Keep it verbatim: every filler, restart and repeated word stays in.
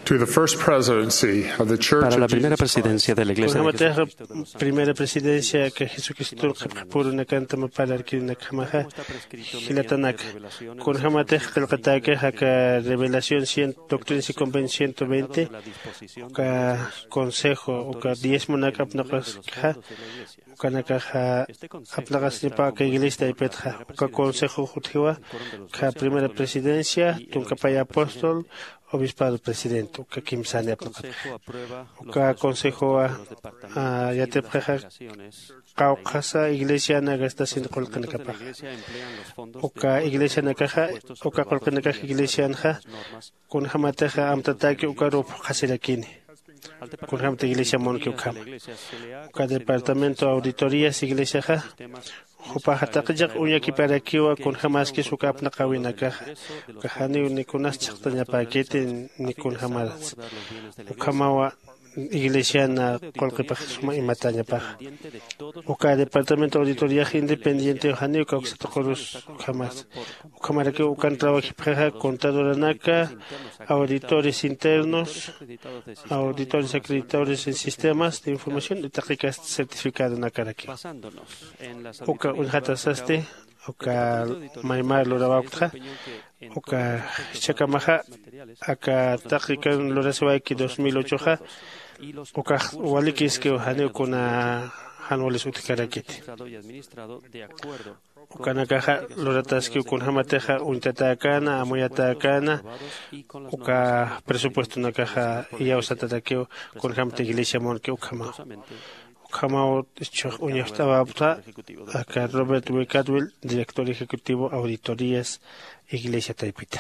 To the First Presidency of the Church Para of la Primera Jesus Christ. Presidencia de la Iglesia de Kunjamatixa Jesucristo de los Santos de los Últimos Primera Presidencia aka Jesucristur qhipxipurunakanta mapalarkirunakjamaxa jilatanaka. Kunjamatixa qillqatäkixa aka Revelación cien, Doctrinas y Convenios ciento veinte, uka consejo uka diezmonak apnaqaskixa, ukanakaxa apnaqasnipa aka iglesia taypitxa. Uka consejo jutjiwa aka Primera Presidencia, tunka pay apóstol, obispado presidente, uka kimsani apnaqatxa. Uka consejowa yatipxixa qawqhasa iglesiana gastasin qullqinakapaxa. Uka iglesianakaxa, uka qullqinakax iglesianxa kunjämatixa amtatäki ukaruw phuqhasirakini, kunjämta iglesia munki ukhama. Uka departamento auditorías iglesiaxa jupaxa taqi chiq uñakiparakiwa kunjämaskis uka apnaqäwinakaxa, uka janiw ni kunas chhaqtañapäkiti ni kunjämaras. Ukhamawa iglesiana qullqipax suma imatäñapaxa. Uka departamento auditoriax independientew janiw kawksatuqurus ukhamas. Ukhamarakiw ukan trabajipxixa contadoranaka, auditores internos, auditores acreditadores en sistemas de información y taqi kasta certificadonakarakiw. Uka uñjatasasti uka maymar lurawapktxa, uka jichhakamaxa aka taqikan lurasiwayki dos mil ochoxa, ukax walikiskiw janiw kuna jan walis utjkarakiti. Ukanakaxa lurataskiw kunjämatixa uñtatäkäna, amuyatäkäna, uka presupuestonakaxa iyawsatarakiw kunjämta iglesia munki ukhamaw. Ukhamaw ischux uñacht'awapta aka Robert W. Cadwell, director ejecutivo auditorías iglesia taypita.